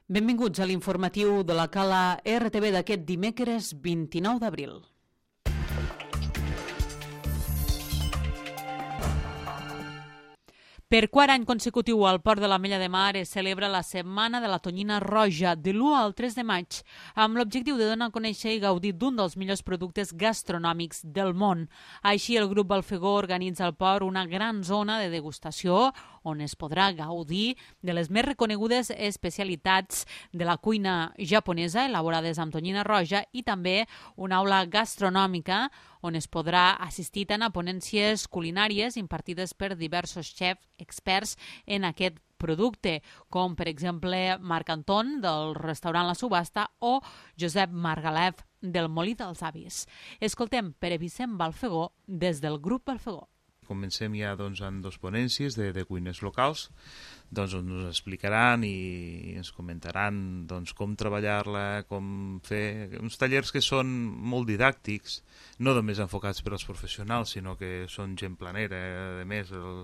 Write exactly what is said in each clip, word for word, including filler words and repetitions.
Benvinguts a l'informatiu de la Cala R T V d'aquest dimecres vint-i-nou d'abril. Per quart any consecutiu al Port de l'Ametlla de Mar es celebra la Setmana de la Tonyina Roja de l'u al tres de maig, amb l'objectiu de donar a conèixer i gaudir d'un dels millors productes gastronòmics del món. Així, el grup Balfegó organitza al port una gran zona de degustació on es podrà gaudir de les més reconegudes especialitats de la cuina japonesa elaborades amb tonyina roja i també una aula gastronòmica on es podrà assistir tant a ponències culinàries impartides per diversos xefs experts en aquest producte, com per exemple Marc Anton del restaurant La Subhasta o Josep Margalef del Molí dels Avis. Escoltem Pere Vicent Balfegó des del grup Balfegó. Comencem ja doncs, amb dues ponències de, de cuines locals, doncs, on ens explicaran i ens comentaran doncs, com treballar-la, com fer uns tallers que són molt didàctics, no només enfocats per als professionals, sinó que són gent planera. A més, el,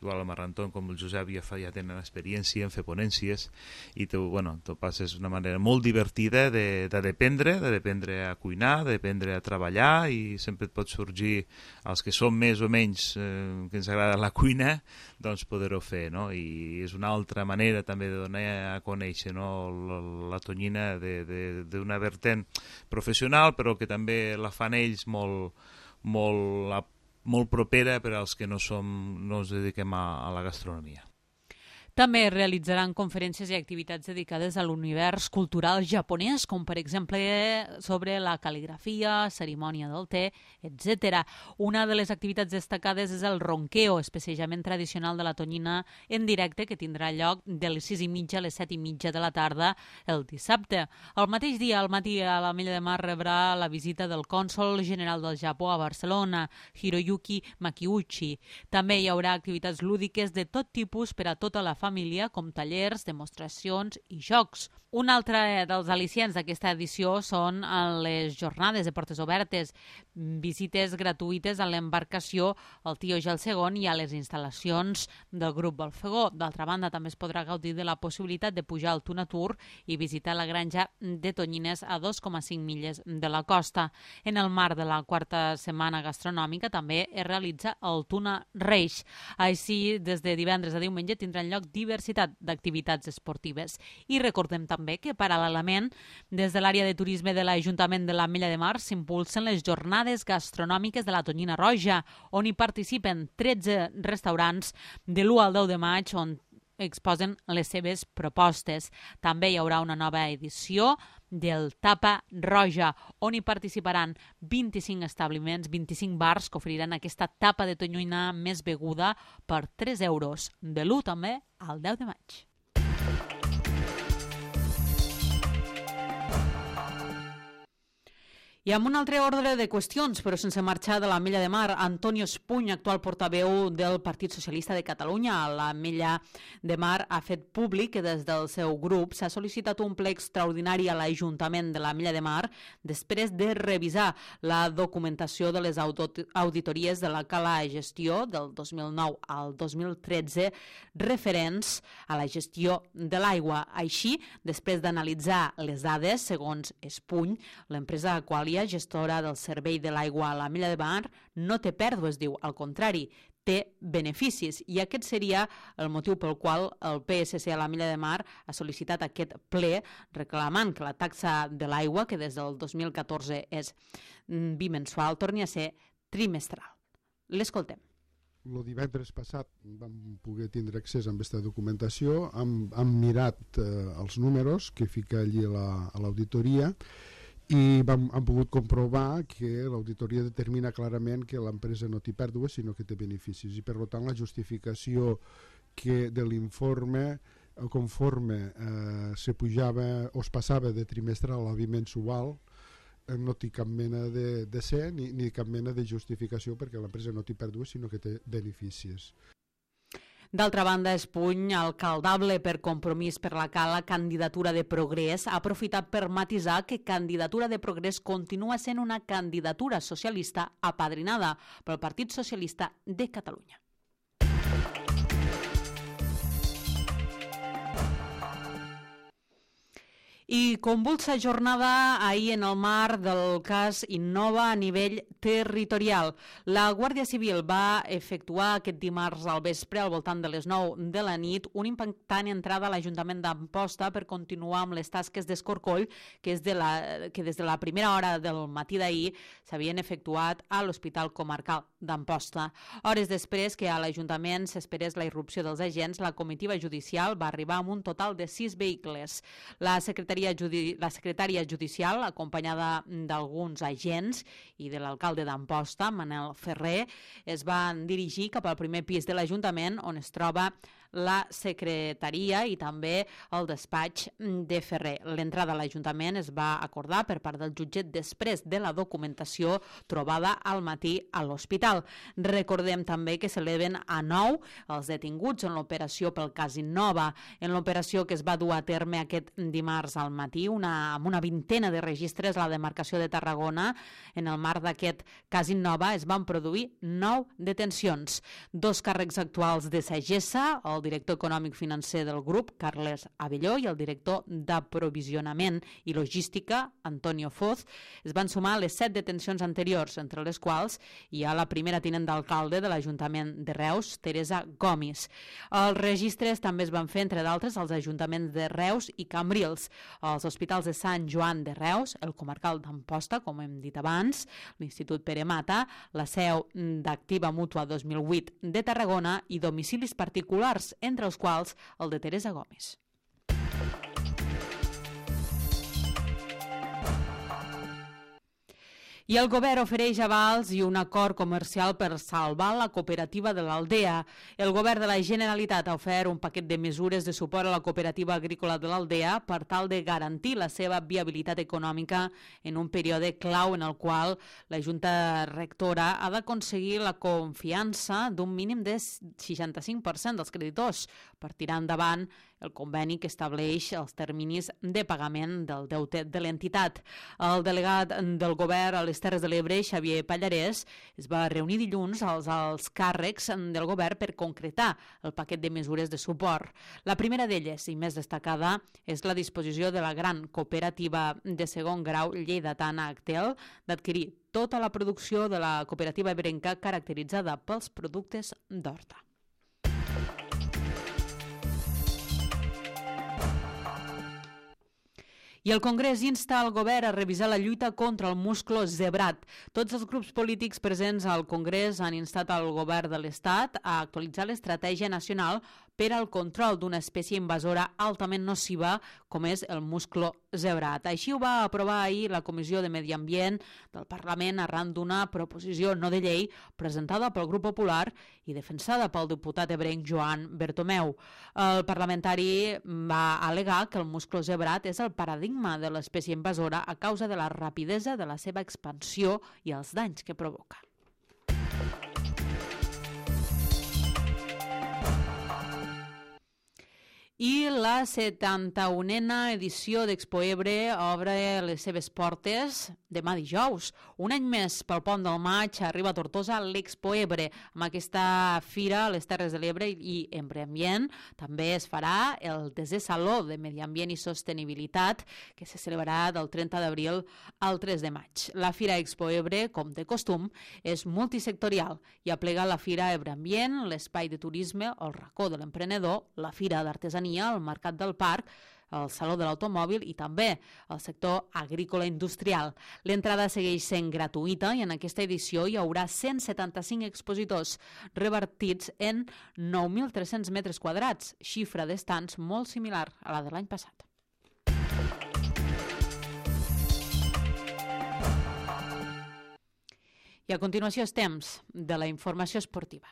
igual el Marrantón com el Josep ja, fa, ja tenen experiència en fer ponències i tu, bueno, tu passes una manera molt divertida de, de dependre, de dependre a cuinar, de dependre a treballar, i sempre et pot sorgir els que som més o menys eh, que ens agrada la cuina, doncs poder-ho fer, no? I és una altra manera també de donar a conèixer, no? la, la tonyina d'una vertent professional, però que també la fan ells molt, molt, molt propera per als que no, som, no ens dediquem a, a la gastronomia. També realitzaran conferències i activitats dedicades a l'univers cultural japonès, com per exemple sobre la cal·ligrafia, cerimònia del te, etcètera. Una de les activitats destacades és el ronkeo, especialment tradicional de la tonyina en directe, que tindrà lloc de les sis i mitja a les set i mitja de la tarda el dissabte. El mateix dia, al matí, a l'Ametlla de Mar rebrà la visita del cònsol general del Japó a Barcelona, Hiroyuki Makiuchi. També hi haurà activitats lúdiques de tot tipus per a tota la família, com tallers, demostracions i jocs. Un altre dels al·licients d'aquesta edició són les jornades de portes obertes, visites gratuïtes a l'embarcació al Tío Gel segon i a les instal·lacions del grup Balfegó. D'altra banda, també es podrà gaudir de la possibilitat de pujar al Tuna Tour i visitar la granja de tonyines a dos coma cinc milles de la costa. En el marc de la quarta setmana gastronòmica també es realitza el Tuna Reis. Així, des de divendres a diumenge tindran lloc diversitat d'activitats esportives. I recordem també que, paral·lelament, des de l'àrea de turisme de l'Ajuntament de l'Ametlla de Mar s'impulsen les jornades gastronòmiques de la tonyina roja, on hi participen tretze restaurants de l'u al deu de maig, on exposen les seves propostes. També hi haurà una nova edició del Tapa Roja, on hi participaran vint-i-cinc establiments, vint-i-cinc bars que oferiran aquesta tapa de tonyina més beguda per tres euros, de l'u també al deu de maig. I amb un altre ordre de qüestions, però sense marxar de l'Ametlla de Mar, Antonio Espuny, actual portaveu del Partit Socialista de Catalunya a l'Ametlla de Mar, ha fet públic que des del seu grup s'ha sol·licitat un ple extraordinari a l'Ajuntament de l'Ametlla de Mar després de revisar la documentació de les auditories de la Cala Gestió del dos mil nou al dos mil tretze referents a la gestió de l'aigua. Així, després d'analitzar les dades, segons Espuny, l'empresa Aqualia, gestora del servei de l'aigua a l'Ametlla de Mar, no té pèrdues, diu, al contrari, té beneficis, i aquest seria el motiu pel qual el P S C a l'Ametlla de Mar ha sol·licitat aquest ple reclamant que la taxa de l'aigua, que des del dos mil catorze és bimensual, torni a ser trimestral. L'escoltem. El divendres passat vam poder tindre accés a aquesta documentació, hem, hem mirat eh, els números que fica allí a l'auditoria, i vam, hem pogut comprovar que l'auditoria determina clarament que l'empresa no té pèrdues sinó que té beneficis, i per tant la justificació que de l'informe conforme eh, se pujava o es passava de trimestral a bimensual eh, no té cap mena de, de ser ni, ni cap mena de justificació, perquè l'empresa no té pèrdues sinó que té beneficis. D'altra banda, Espuny, alcaldable per Compromís per la Cala, Candidatura de Progrés, ha aprofitat per matisar que Candidatura de Progrés continua sent una candidatura socialista apadrinada pel Partit Socialista de Catalunya. I convulsa jornada ahir en el marc del cas Innova a nivell territorial. La Guàrdia Civil va efectuar aquest dimarts al vespre, al voltant de les nou de la nit, una impactant entrada a l'Ajuntament d'Amposta per continuar amb les tasques d'escorcoll que, és de la, que des de la primera hora del matí d'ahir s'havien efectuat a l'Hospital Comarcal d'Amposta. Hores després que a l'Ajuntament s'esperés la irrupció dels agents, la comitiva judicial va arribar amb un total de sis vehicles. La secretària Judi- la secretària judicial, acompanyada d'alguns agents i de l'alcalde d'Amposta, Manel Ferrer, es van dirigir cap al primer pis de l'Ajuntament, on es troba la secretaria i també el despatx de Ferrer. L'entrada a l'Ajuntament es va acordar per part del jutget després de la documentació trobada al matí a l'hospital. Recordem també que s'eleven a nou els detinguts en l'operació pel cas Innova. En l'operació que es va dur a terme aquest dimarts al matí, una, amb una vintena de registres a la demarcació de Tarragona, en el marc d'aquest cas Innova es van produir nou detencions. Dos càrrecs actuals de Sagessa, el director econòmic financer del grup, Carles Abelló, i el director d'aprovisionament i logística, Antonio Foz, es van sumar a les set detencions anteriors, entre les quals hi ha la primera tinent d'alcalde de l'Ajuntament de Reus, Teresa Gomis. Els registres també es van fer, entre d'altres, als ajuntaments de Reus i Cambrils, als hospitals de Sant Joan de Reus, el Comarcal d'Amposta, com hem dit abans, l'Institut Pere Mata, la seu d'Activa Mútua dos mil vuit de Tarragona i domicilis particulars, entre els quals el de Teresa Gomis. I el govern ofereix avals i un acord comercial per salvar la cooperativa de l'Aldea. El govern de la Generalitat ha ofert un paquet de mesures de suport a la cooperativa agrícola de l'Aldea per tal de garantir la seva viabilitat econòmica en un període clau en el qual la Junta Rectora ha d'aconseguir la confiança d'un mínim de seixanta-cinc per cent dels creditors per tirar endavant el conveni que estableix els terminis de pagament del deute de l'entitat. El delegat del govern a les Terres de l'Ebre, Xavier Pallarès, es va reunir dilluns als alts càrrecs del govern per concretar el paquet de mesures de suport. La primera d'elles, i més destacada, és la disposició de la gran cooperativa de segon grau lleidatana Actel d'adquirir tota la producció de la cooperativa ebrenca caracteritzada pels productes d'horta. I el Congrés insta el govern a revisar la lluita contra el musclo zebrat. Tots els grups polítics presents al Congrés han instat al govern de l'Estat a actualitzar l'estratègia nacional per al control d'una espècie invasora altament nociva com és el musclo zebrat. Així ho va aprovar ahir la Comissió de Medi Ambient del Parlament arran d'una proposició no de llei presentada pel Grup Popular i defensada pel diputat ebrenc Joan Bertomeu. El parlamentari va al·legar que el musclo zebrat és el paradigma de l'espècie invasora a causa de la rapidesa de la seva expansió i els danys que provoca. I la setanta-unena edició d'Expo Ebre obre les seves portes demà dijous. Un any més pel Pont del Maig arriba a Tortosa l'Expo Ebre. Amb aquesta fira a les Terres de l'Ebre i Ebre Ambient també es farà el desè Saló de Medi Ambient i Sostenibilitat que se celebrarà del trenta d'abril al tres de maig. La Fira Expo Ebre, com de costum, és multisectorial i aplega la Fira Ebre Ambient, l'espai de turisme, el racó de l'emprenedor, la Fira d'Artesania, el Mercat del Parc, el Saló de l'Automòbil i també el sector agrícola industrial. L'entrada segueix sent gratuïta i en aquesta edició hi haurà cent setanta-cinc expositors repartits en nou mil tres-cents metres quadrats, xifra d'estants molt similar a la de l'any passat. I a continuació és temps de la informació esportiva.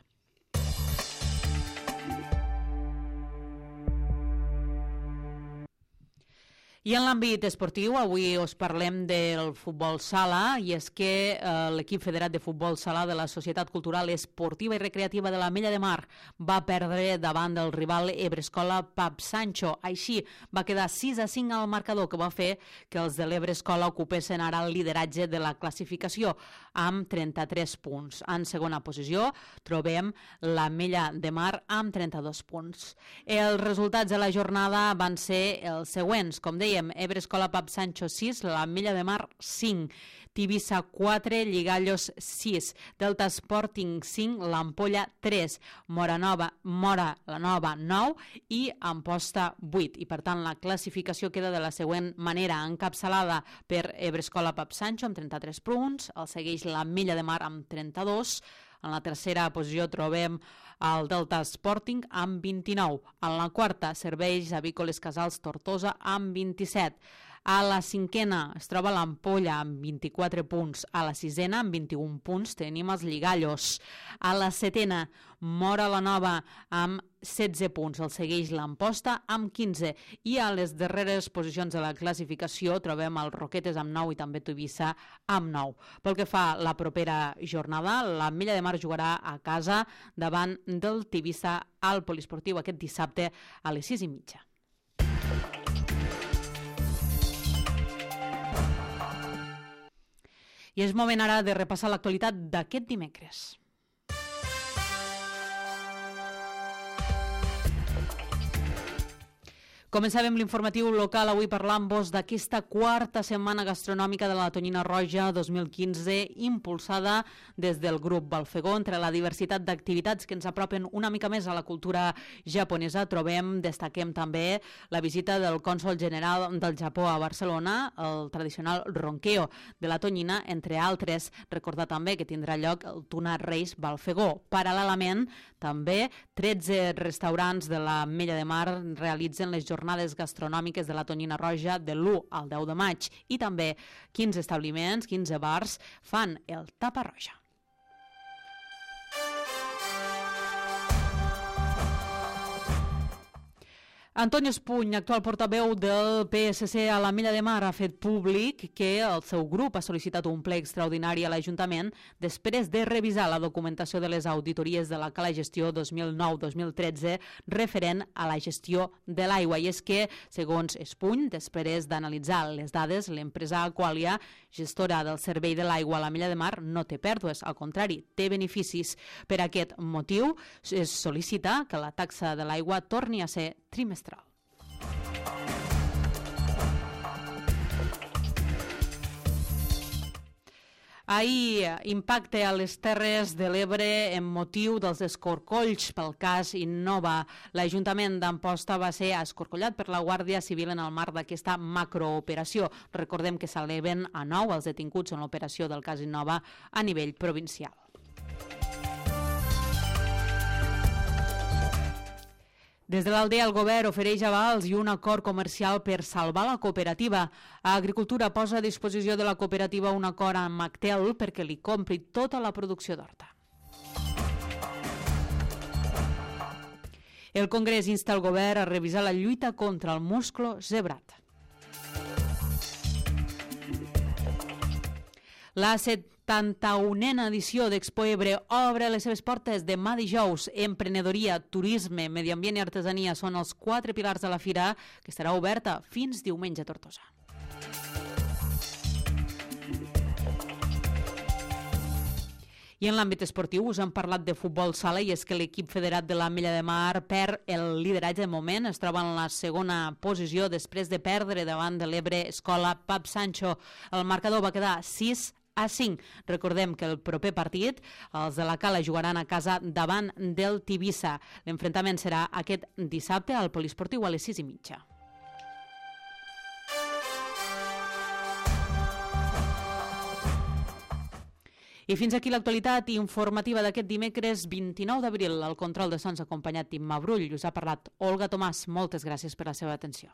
I en l'àmbit esportiu, avui us parlem del futbol sala, i és que eh, l'equip federat de futbol sala de la Societat Cultural Esportiva i Recreativa de l'Ametlla de Mar va perdre davant del rival Ebrescola Pap Sancho. Així va quedar sis a cinc al marcador, que va fer que els de l'Ebrescola ocupessin ara el lideratge de la classificació. amb trenta-tres punts. En segona posició trobem l'Ametlla de Mar amb trenta-dos punts. Els resultats de la jornada van ser els següents. Com dèiem, Ebre Escola Pap Sancho sis, l'Ametlla de Mar cinc, Tivissa quatre, Lligallos sis, Delta Sporting cinc, l'Ampolla tres, Mora Nova, Mora la Nova nou i Amposta vuit. I per tant la classificació queda de la següent manera: encapçalada per Ebre Escola Pap Sancho amb trenta-tres punts, el segueix l'Ametlla de Mar amb trenta-dos, en la tercera posició trobem el Delta Sporting amb vint-i-nou, en la quarta Serveis Avícoles Casals Tortosa amb vint-i-set, a la cinquena es troba l'Ampolla amb vint-i-quatre punts, a la sisena amb vint-i-un punts tenim els Lligallos, a la setena Mora la Nova amb setze punts, el segueix l'Amposta amb quinze, i a les darreres posicions de la classificació trobem el Roquetes amb nou i també Tivissa amb nou. Pel que fa a la propera jornada, l'Ametlla de Mar jugarà a casa davant del Tivissa al Poliesportiu aquest dissabte a les sis i mitja. I és moment ara de repassar l'actualitat d'aquest dimecres. Començàvem l'informatiu local avui parlant-vos d'aquesta quarta setmana gastronòmica de la Tonyina Roja dos mil quinze, impulsada des del grup Balfegó. Entre la diversitat d'activitats que ens apropen una mica més a la cultura japonesa, trobem, destaquem també la visita del cònsol general del Japó a Barcelona, el tradicional ronqueo de la Tonyina, entre altres. Recordar també que tindrà lloc el Tuna Reis Balfegó. Paral·lelament, també tretze restaurants de l'Ametlla de Mar realitzen les jornades jornades gastronòmiques de la Tonyina Roja de l'u al deu de maig, i també quinze establiments, quinze bars fan el Tapa Roja. Antonio Espuny, actual portaveu del P S C a l'Ametlla de Mar, ha fet públic que el seu grup ha sol·licitat un ple extraordinari a l'Ajuntament després de revisar la documentació de les auditories de la Cala Gestió dos mil nou dos mil tretze referent a la gestió de l'aigua. I és que, segons Espuny, després d'analitzar les dades, l'empresa Aqualia, gestora del servei de l'aigua a l'Ametlla de Mar, no té pèrdues, al contrari, té beneficis. Per aquest motiu, es sol·licita que la taxa de l'aigua torni a ser trimestral. Ahir, impacte a les Terres de l'Ebre en motiu dels escorcolls pel cas Innova. L'Ajuntament d'Amposta va ser escorcollat per la Guàrdia Civil en el marc d'aquesta macrooperació. Recordem que s'eleven a nou els detinguts en l'operació del cas Innova a nivell provincial. Des de l'Aldea, el govern ofereix avals i un acord comercial per salvar la cooperativa. Agricultura posa a disposició de la cooperativa un acord amb Actel perquè li compri tota la producció d'horta. El Congrés insta el govern a revisar la lluita contra el musclo zebrat. La setanta-unena edició d'Expo Ebre obre les seves portes demà dijous. Emprenedoria, turisme, medi ambient i artesania són els quatre pilars de la fira, que estarà oberta fins diumenge a Tortosa. I en l'àmbit esportiu us hem parlat de futbol sala, i és que l'equip federat de l'Ametlla de Mar perd el lideratge de moment, es troba en la segona posició després de perdre davant de l'Ebre Escola Pap Sancho. El marcador va quedar sis a cinc. Recordem que el proper partit els de la Cala jugaran a casa davant del Tivissa. L'enfrontament serà aquest dissabte al Poliesportiu a les sis i mitja. I fins aquí l'actualitat informativa d'aquest dimecres vint-i-nou d'abril. Al control de sons acompanyat Imma Brull. Us ha parlat Olga Tomàs. Moltes gràcies per la seva atenció.